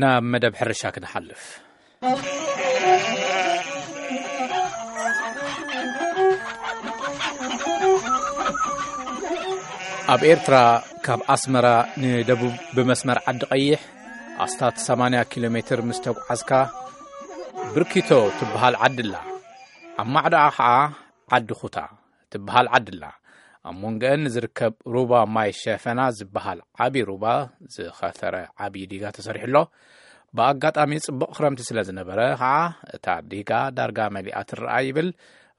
ናብ መደብ ሕርሻ ክንሓልፍ። ኣብ ኤርትራ ካብ ኣስመራ ንደቡብ ብመስመር ዓዲ ቀይሕ ኣስታት ሰማንያ ኪሎ ሜትር ምስ ተጓዓዝካ ብርኪቶ ትበሃል ዓዲ ኣላ። ኣብ ማዕዶኣ ኸዓ ዓዲ ኹታ ትበሃል ዓዲ ኣላ። ኣብ መንጎአን ዝርከብ ሩባ ማይ ሸፈና ዝበሃል ዓቢ ሩባ ዝኸተረ ዓቢ ዲጋ ተሰሪሑ ኣሎ። ብኣጋጣሚ ጽቡቕ ክረምቲ ስለ ዝነበረ ኸዓ እታ ዲጋ ዳርጋ መሊኣ ትረኣ ይብል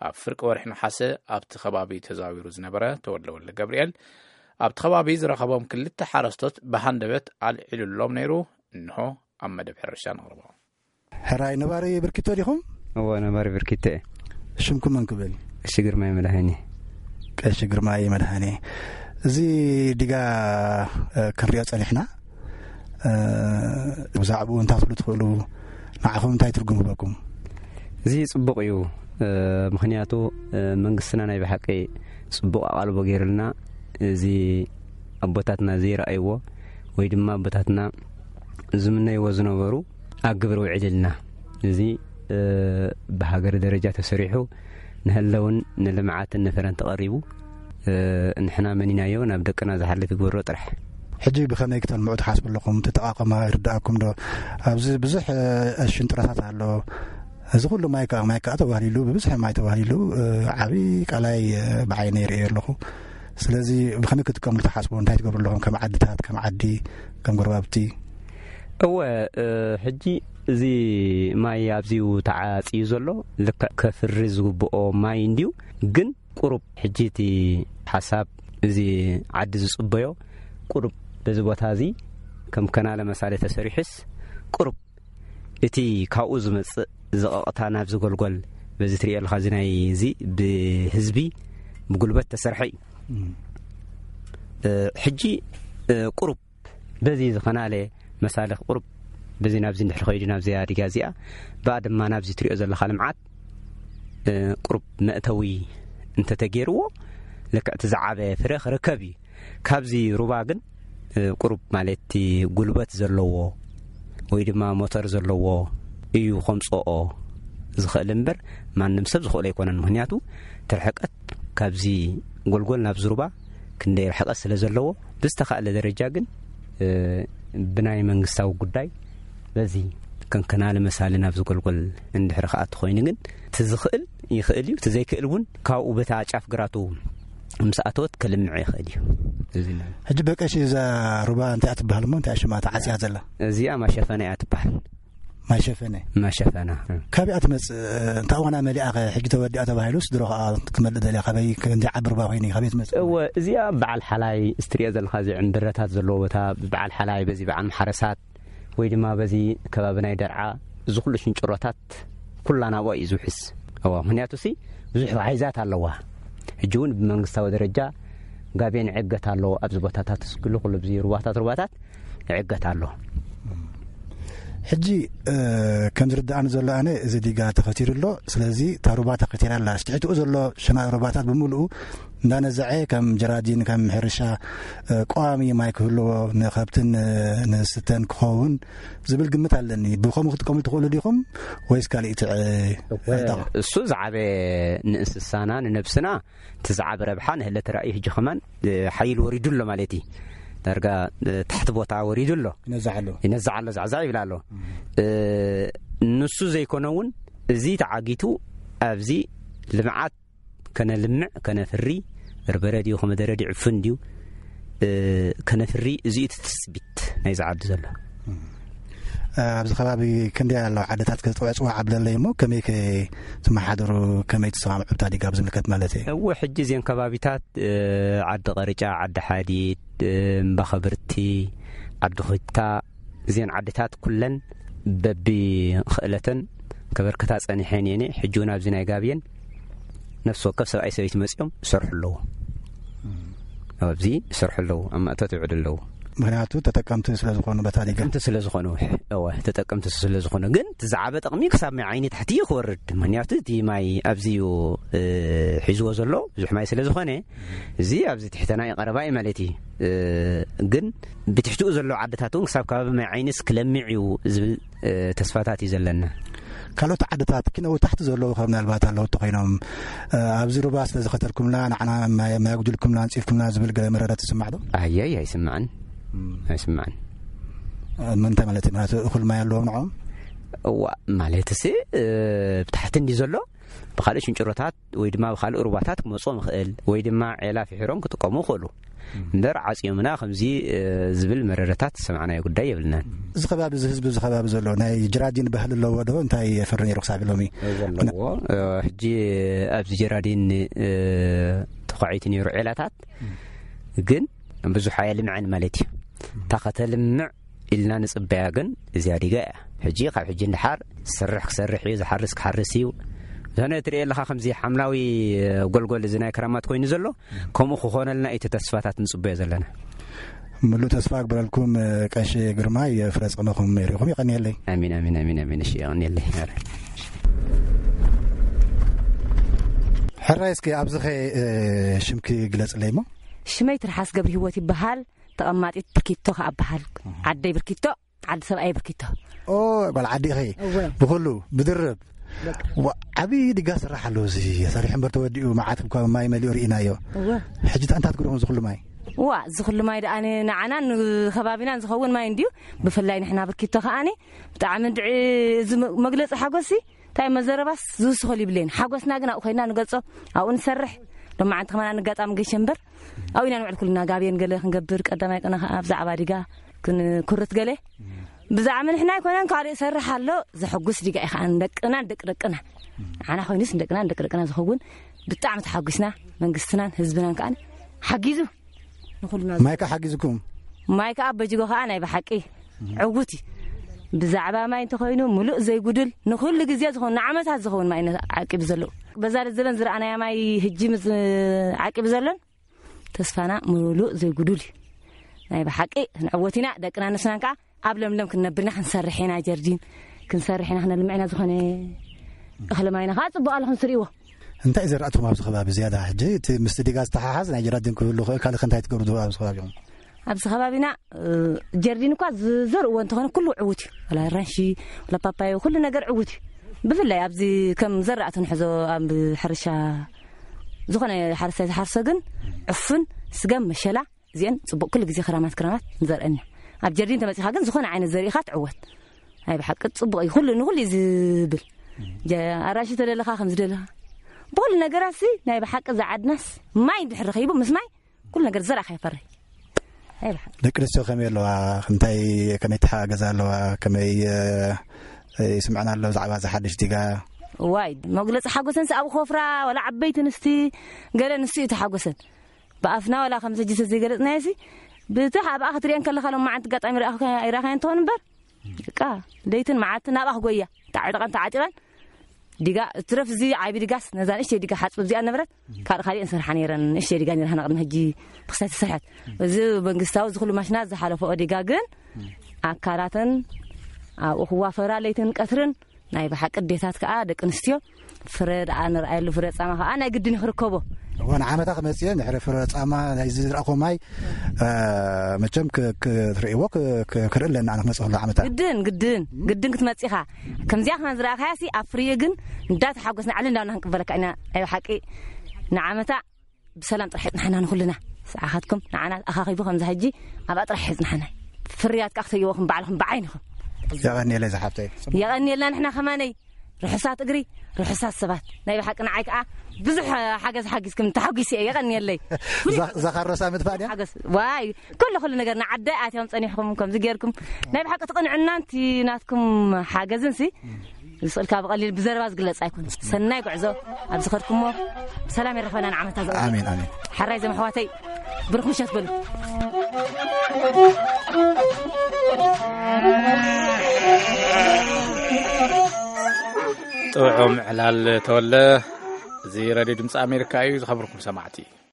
ኣብ ፍርቂ ወርሒ ነሓሰ ኣብቲ ከባቢ ተዛዊሩ ዝነበረ ተወልደ ወልደ ገብርኤል። ኣብቲ ከባቢ ዝረኸቦም ክልተ ሓረስቶት ብሃንደበት ኣልዒሉሎም ነይሩ። እንሆ ኣብ መደብ ሕርሻ ነቕርቦ። ሕራይ ነባሪ ብርኪቶ ዲኹም? እወ፣ ነባሪ ብርኪቶ እየ። ሽምኩም መን ክብል? ቀሺ ግርማይ መድሃኔ። ቀሺ ግርማይ መድሃኔ። እዚ ዲጋ፣ እ፣ ክንሪኦ ጸኒሕና። እ፣ ብዛዕባኡ እንታይ ክትብሉ ትኽእሉ? ንዓኹም እንታይ ትርጉም ሂበኩም? እዚ ጽቡቕ እዩ። እ፣ ምኽንያቱ፣ እ፣ መንግስትና ናይ ብሓቂ ጽቡቕ ኣቓልቦ ገይሩልና። እዚ ኣቦታትና ዘይረኣይዎ ወይ ድማ ኣቦታትና ዝምነይዎ ዝነበሩ ኣብ ግብሪ ውዒልልና። እዚ፣ እ፣ ብሃገር ደረጃ ተሰሪሑ ንህለውን ንልምዓትን ንፍረን ተቐሪቡ፣ እ፣ ንሕና መኒናዮ ናብ ደቅና ዝሓልፍ ይግበሮ ጥራሕ። ሕጂ ብኸመይ ክተልምዑ ትሓስቡ ኣለኹም? ትጠቓቐማ ይርድኣኩም ዶ? ኣብዚ ብዙሕ፣ እ፣ ሽንጥሮታት ኣሎ። እዚ ኩሉ ማይ ከኣ፣ ማይ ከኣ ተባህሊሉ፣ ብብዝሒ ማይ ተባህሊሉ፣ እ፣ ዓቢ ቃላይ፣ እ፣ ብዓይነይ ርእየ ኣለኹ። ስለዚ ብኸመይ ክትጥቀምሉ ትሓስቡ? እንታይ ትገብሩ ኣለኹም? ከም ዓድታት፣ ከም ዓዲ፣ ከም ጎረባብቲ? እወ፣ እ፣ ሕጂ እዚ ማይ ኣብዚኡ ተዓጽዩ ዘሎ ልክዕ ከፍሪ ዝግብኦ ማይ እንድዩ፣ ግን ቁሩብ ሕጂ እቲ ሓሳብ እዚ ዓዲ ዝጽበዮ ቁሩብ በዚ ቦታ እዚ ከም ከናለ መሳለ ተሰሪሑስ ቁሩብ እቲ ካብኡ ዝመጽእ ዝቐቕታ ናብዚ ጎልጎል በዚ ትርእዮ ኣለኻ፣ እዚ ናይ እዚ ብህዝቢ ብጉልበት ተሰርሐ እዩ። እም። እ፣ ሕጂ፣ እ፣ ቁሩብ በዚ ዝኸናለ መሳልኽ ቁሩብ በዚ ናብዚ እንድሕር ኸይዱ ናብዚ ኣዲጋ እዚኣ፣ ብኣ ድማ ናብዚ ትሪኦ ዘለኻ ልምዓት፣ እ፣ ቁሩብ መእተዊ እንተተገይርዎ፣ ልክዕ እቲ ዝዓበ ፍረ ክርከብ እዩ። ካብዚ ሩባ ግን፣ እ፣ ቁሩብ ማለት እቲ ጉልበት ዘለዎ ወይ ድማ ሞተር ዘለዎ እዩ ከምጽኦ ዝኽእል እምበር፣ ማንም ሰብ ዝኽእሎ ኣይኮነን። ምኽንያቱ፣ እቲ ርሕቀት ካብዚ ጎልጎል ናብዚ ሩባ ክንደይ ርሕቀት ስለ ዘለዎ፣ ብዝተኻእለ ደረጃ ግን፣ እ፣ ብናይ መንግስታዊ ጉዳይ በዚ ከንከናሊ መሳሊ ናብዚ ጎልጎል እንድሕሪ ክኣቱ ኮይኑ ግን፣ እቲ ዝኽእል ይኽእል እዩ፣ እቲ ዘይክእል እውን ካብኡ በታ ጫፍ ግራቱ ምስ ኣተወት ክልምዕ ይኽእል እዩ። እዚ ነው። ሕጂ በቀሺ እዛ ሩባ እንታይ እያ ትበሃል እሞ እንታይ ሽማ ተዓጽያ ዘላ? እዚኣ ማሸፈና እያ ትበሃል። ማሸፈነ? ማሸፈና። ካበይ እያ ትመጽእ? እንታ እዋና መሊኣ ኸ ሕጂ ተወዲኣ ተባሂሉስ ድሮ ኸኣ ክመልእ ደልያ ካበይ ክንዲ ዓቢ ሩባ ኮይኑ እዩ? ካበይ ትመጽእ? እወ፣ እዚኣ በዓል ሓላይ እስትሪኦ ዘለኻ እዚ ዕምብረታት ዘለዎ ቦታ በዓል ሓላይ በዚ በዓል ማሕረሳት ወይ ድማ በዚ ከባቢ ናይ ደርዓ እዚ ኩሉ ሽንጭሮታት ኩላ ናብኣ እዩ ዝውሕዝ። እዋ፣ ምኽንያቱ ሲ ብዙሕ ዋሒዛት ኣለዋ። ሕጂ እውን ብመንግስታዊ ደረጃ ጋቤን ዕገት ኣሎ። ኣብዚ ቦታታት እስክሉ ኩሉ ብዚ ሩባታት ሩባታት ዕገት ኣሎ። ሕጂ፣ እ፣ ከም ዝርድኣኒ ዘሎ ኣነ እዚ ዲጋ ተኸቲሩ ኣሎ። ስለዚ እታ ሩባ ተኸቲራ ኣላ። ትሕትኡ ዘሎ ሸናቕ ሩባታት ብምሉኡ እንዳነዘዐ ከም ጀራዲን፣ ከም ሕርሻ፣ እ፣ ቀዋሚ ማይ ክህልዎ ንኸብትን፣ እ፣ ንስተን ክኸውን ዝብል ግምት ኣለኒ። ብኸምኡ ክትጥቀሙ ትኽእሉ ዲኹም ወይስ ካልእ ትዕ-፣ እወ፣ ዕዳጋ? እሱ ዝዓበ ንእንስሳና ንነብስና እቲ ዝዓበ ረብሓ ንህለት ራእዩ ሕጂ ከማን፣ እ፣ ሓይል ወሪዱ ኣሎ ማለት እዩ። ዳርጋ፣ እ፣ ታሕቲ ቦታ ወሪዱ ኣሎ። ይነዝዕ ኣሎ። ይነዝዕ ኣሎ፣ ዛዕዛዕ ይብል ኣሎ። እም። እ፣ ንሱ ዘይኮነ እውን እዚ ተዓጊቱ ኣብዚ ልምዓት ከነልምዕ፣ ከነፍሪ፣ በርበረ ድዩ፣ ኮመደረ ድዩ፣ ዕፉን ድዩ፣ እ፣ ከነፍሪ፣ እዚ እዩ እቲ ትጽቢት ናይዚ ዓዲ ዘሎ። እም። ኣብዚ ከባቢ ክንደይ ኣለዋ ዓድታት? ከ ጽዋዕ ጽዋዕ ኣብለለይ እሞ፣ ከመይ ከ ትመሓደሩ፣ ከመይ ትሰማምዑ፣ ብታ ዲጋ ኣብ ዝምልከት ማለት እየ? እወ፣ ሕጂ እዚን ከባቢታት፣ እ፣ ዓዲ ቐርጫ፣ ዓዲ ሓዲድ፣ እ፣ እምባ ኸብርቲ፣ ዓዲ ኹታ፣ እዚን ዓድታት ኩለን በቢ ክእለተን ከበርክታ ጸኒሐን እየን። ሕጂ እውን ኣብዚ ናይ ጋብየን ነፍሲ ወከፍ ሰብኣይ ሰበይቲ መጺኦም ይሰርሑ ኣለዉ። እም። ኣብዚ ይሰርሑ ኣለዉ፣ ኣብ ማእቶት ይውዕሉ ኣለዉ። ምኽንያቱ ተጠቀምቲ ስለ ዝኾኑ በታ ዲጋ። ተጠቀምቲ ስለ ዝኾኑ፣ እወ፣ ተጠቀምቲ ስለ ዝኾኑ። ግን እቲ ዝዓበ ጥቕሚ ክሳብ ማይ ዓይኒ ታሕቲ እዩ ክወርድ። ምኽንያቱ እቲ ማይ ኣብዚ እዩ፣ እ፣ ሒዝዎ ዘሎ፣ ብዙሕ ማይ ስለ ዝኾነ፣ እዚ ኣብዚ ትሕተና እዩ ቀረባ እዩ ማለት እዩ። እ፣ ግን ብትሕትኡ ዘለዉ ዓድታት እውን ክሳብ ከባቢ ማይ ዓይንስ ክለምዕ እዩ ዝብል፣ እ፣ ተስፋታት እዩ ዘለና። ካልኦት ዓድታት ኪነው ታሕቲ ዘለዉ ካብ ምናልባት ኣለዉ እንተኾይኖም፣ እ፣ ኣብዚ ሩባ ስለ ዝኸተልኩምና ንዓና ማይ፣ ማይ ኣጉድልኩምና፣ ኣንጺፍኩምና ዝብል ገለ መረረት ትስማዕ ዶ? ኣየይ፣ ኣይስምዕን። እም። ኣይስምዕን። እ፣ ምንታይ ማለት እዩ? ማለት እኹል ማይ ኣለዎም ንዕኦም? እዋ፣ ማለትሲ፣ እ፣ ብታሕቲ እንዲ ዘሎ ብኻልእ ሽንጭሮታት ወይ ድማ ብኻልእ ሩባታት ክመጽኦም ይኽእል ወይ ድማ ዔላ ፍሒሮም ክጥቀሙ ይኽእሉ። እምበር ዓጽዮምና ከምዚ፣ እ፣ ዝብል መረረታት ዝሰማዕናዮ ጉዳይ የብልናን። እዚ ከባቢ፣ እዚ ህዝቢ፣ እዚ ከባቢ ዘሎ ናይ ጀራዲን ባህሊ ኣለዎ ዶ? እንታይ የፍሪ ነይሩ ክሳብ ሎሚ? ዘለዎ፣ እ፣ ሕጂ ኣብዚ ጀራዲን፣ እ፣ ተዃዒቱ ነይሩ ዔላታት፣ ግን ብዙሕ ኣየልምዐን ማለት እዩ። እታ ከተልምዕ ኢልና ንጽበያ ግን እዚኣ ዲጋ እያ። ሕጂ ካብ ሕጂ ንደሓር ዝሰርሕ ክሰርሕ እዩ፣ ዝሓርስ ክሓርስ እዩ። ዝኾነ ትርእየ ኣለኻ ከምዚ ሓምላዊ ጎልጎል እዚ ናይ ክራማት ኮይኑ ዘሎ፣ ከምኡ ክኾነልና እዩ እቲ ተስፋታት ንጽበዮ ዘለና። ምሉእ ተስፋ እግበረልኩም፣ ቀሺ ግርማይ፣ ፍረ ጸመኹም ርኢኹም። የቐንየለይ። ኣሚን፣ ኣሚን፣ ኣሚን፣ ኣሚን። እሺ፣ የቐንየለይ። ሕራይ፣ እስኪ ኣብዚ ኸ፣ እ፣ ሽምኪ ግለጽለይ እሞ። ሽመይ ትርሓስ ገብረ ህይወት ይበሃል። ተቐማጢት ብርኪቶ ከኣ እበሃል። ዓደይ ብርኪቶ፣ ዓዲ ሰብኣይ ብርኪቶ። ኦ፣ ጓል ዓዲ ኢኺ። እወ። ብኹሉ ብድርብ። በቃ። ዋ፣ ዓብዪ ዲጋ ስራሕ ኣለዎ እዚ። ሰሪሑ እምበር ተወዲኡ መዓት እኳ ማይ መሊኡ ርኢናዮ። እወ። ሕጂ እንታይ ትገብርዎ እዚ ኩሉ ማይ? ዋ፣ እዚ ኩሉ ማይ ደኣ ን-፣ ንዓናን ንከባቢናን ዝኸውን ማይ እንድዩ። ብፍላይ ንሕና ብርኪቶ ከኣኒ ብጣዕሚ እንድዒ እዚ መ-፣ መግለጺ ሓጎስሲ እንታይ መዘረባስ ዝውስኸሉ ይብለይን። ሓጎስና ግን ኣብኡ ኮይና ንገልጾ፣ ኣብኡ ንሰርሕ። ሎማዓንቲ ከማን ኣጋጣሚ ገሸ እምበር ኣብኡ ኢና ንውዕል ኩልና። ጋብየን ገለ ክንገብር፣ ቀዳማይ ቅነ ከኣ ብዛዕባ ዲጋ ክንኩርት ገለ። ብዛዕባ ንሕና ኣይኮነን፣ ካልእ ይሰርሕ ኣሎ። ዘሐጉስ ዲጋ እዩ ከኣ ንደቅና፣ ንደቂ ደቅና። ንዓና ኮይኑስ ንደቅና፣ ንደቂ ደቅና ዝኸውን ብጣዕሚ ተሓጒስና። መንግስትናን ህዝብናን ከኣ ሓጊዙ ንኹልና። ማይ ከኣ ሓጊዝኩም? ማይ ከኣ በጅጎ ከኣ ናይ ብሓቂ ዕዉት እዩ። ብዛዕባ ማይ እንተኾይኑ ምሉእ ዘይጉድል ንኹሉ ግዜ ዝኾን ንዓመታት ዝኸውን ማይ ኢና ዓቂቡ ዘሎ። በዛ ዘበን ዝረኣናያ ማይ ህጂ ምስ ዓቂቡ ዘሎን ተስፋና ምሉእ ዘይጉዱል እዩ። ናይ ብሓቂ ክንዕወት ኢና፣ ደቅና ንስናን ከኣ ኣብ ለምለም ክንነብር ኢና፣ ክንሰርሕ ኢና፣ ጀርዲን ክንሰርሕ ኢና፣ ክነልምዕ ኢና፣ ዝኾነ እኽሊ ማይና ከኣ ጽቡቕ ኣሎ፣ ከም ትርእይዎ። እንታይ ዘራእትኹም ኣብዚ ከባቢ ዝያዳ? ሕጂ እቲ ምስቲ ዲጋ ዝተሓሓዝ ናይ ጀራዲን ክህሉ ይኽእል፣ ካልእ ከ እንታይ ትገብሩ ኣብዚ ከባቢኹም? ኣብዚ ከባቢና፣ እ፣ ጀርዲን እኳ ዝዘርእዎ እንተኾነ ኩሉ ዕዉት እዩ። ወላ ኣራንሺ፣ ወላ ፓፓዮ፣ ኩሉ ነገር ዕዉት እዩ። ብፍላይ ኣብዚ ከም ዘራእቲ ንሕዞ ኣብ ሕርሻ ዝኾነ ሓረስታይ ዝሓርሶ ግን ዕፉን፣ ስገም፣ መሸላ፣ እዚአን ጽቡቕ ኩሉ ግዜ ክራማት ክራማት ንዘርአን ኢና። ኣብ ጀርዲን ተመጺኻ ግን ዝኾነ ዓይነት ዘርኢ ኢኻ ትዕወት። ናይ ብሓቂ ጽቡቕ እዩ። ኩሉ ንኹሉ እዩ ዝብል። ጀ-፣ ኣራንሺ ተደለኻ ከም ዝደለኻ። ብኹሉ ነገራት ሲ ናይ ብሓቂ እዛ ዓድናስ ማይ እንድሕር ረኺቡ ምስ ማይ ኩሉ ነገር ዘርኣኻ ይፈሪ። ናይ ብሓቂ። ደቂ ኣንስትዮ ከመይ ኣለዋ? እንታይ፣ ከመይ ተሓጋገዛ ኣለዋ? ከመይ፣ እ፣ ይስምዐን ኣሎ ብዛዕባ እዛ ሓድሽ ዲጋ? ዋይ፣ መግለጺ ሓጎሰን ሲ ኣብ ኮፍራ ወላ ዓበይቲ ኣንስቲ ገለ ንሱ እዩ ተሓጎሰን። ብኣፍና ዋላ ከምዚ ሕጂ ዘይገለጽናዮ ሲ፣ ብቲ ኣብኣ ክትሪአን ከለኻ ሎም መዓልቲ ኣጋጣሚ ረኣኹ-፣ ኣይረኣኻያን ትኾን እምበር፣ በቃ ለይትን መዓልትን ናብኣ ክጎያ። ተዓጢቐን ተዓጢቐን ዲጋ፣ እትረፍ እዚ ዓቢ ዲጋስ፣ ነዛ ንእሽተይ ዲጋ ሓጽብ እዚኣ ነበረት፣ ካልእ ካሊእን ሰርሓ ነይረን። ንእሽተይ ዲጋ ነይራ፣ ንቕድሚ ሕጂ ብክሳይ ተሰርሐት። እዚ መንግስታዊ፣ እዚ ኩሉ ማሽናት ዝሓለፈኦ ዲጋ ግን፣ ኣካላተን ኣብኡ ክዋፈራ ለይትን ቀትርን ናይ ብሓቂ ኣዴታት ከኣ ደቂ ኣንስትዮ ፍረ ደኣ ንርኣየሉ፣ ፍረ ጻማ ከኣ ናይ ግድን ክርከቦ። እወ፣ ንዓመታ ክመጽእ እየ፣ ድሕሪ ፍረ ጻማ ናይዚ ዝረኣኹዎ ማይ፣ እ፣ መቸም ክ-፣ ክ-፣ ክትርእይዎ ክ-፣ ክ-፣ ክርኢ ኣለና፣ ኣነ ክመጽእ ከሎ ዓመታ። ግድን፣ ግድን፣ ግድን ክትመጽእ ኢኻ። ከምዚኣ ከማን ዝረኣኻያ ሲ ኣብ ፍርዩ ግን እንዳተሓጎስና ዕል እንዳበልና ክንቅበለካ ኢና። ናይ ብሓቂ ንዓመታ ብሰላም ጥራሕ ሒጽናሕና ንኹልና። ሰዓኻትኩም ንዓና ኣኻኺቡ ከምዚ ሕጂ ኣብኣ ጥራሕ ሒጽናሕና። ፍርያት ከኣ ክትርእይዎ ከም ባዕልኹም ብዓይንኹም። የቐንየለይ ዝሓፍተይ። የቐንየልና ንሕና ከማነይ። ርሑሳት እግሪ፣ ርሑሳት ሰባት። ናይ ብሓቂ ንዓይ ከኣ ብዙሕ ሓገዝ ሓጊዝኩም ተሓጒሰ እየ። የቐንየለይ። ዛ-፣ ዛ ካሮሳ ምጥፋእ ድያ? ሓገዝ። ዋይ፣ ኩሉ፣ ኩሉ ነገር ንዓደይ ኣትዮም ጸኒሕኩም ከምዚ ጌርኩም። ናይ ብሓቂ እቲ ቅንዕናን እቲ ናትኩም ሓገዝን ሲ ዝስእልካ ብቐሊል ብዘረባ ዝግለጽ ኣይኮነን። ሰናይ ጉዕዞ ኣብ ዝኸድኩሞ ሰላም የራኽበና ንዓመታ ዘ-፣ ኣሜን፣ ኣሜን። ሓራይ ዘመሕዋተይ ብሩኽ ምሸት በሉ። ጥዑም ዕላል ተወለ። እዚ ሬድዮ ድምፂ ኣሜሪካ እዩ። ዝኸበርኩም ሰማዕቲ፣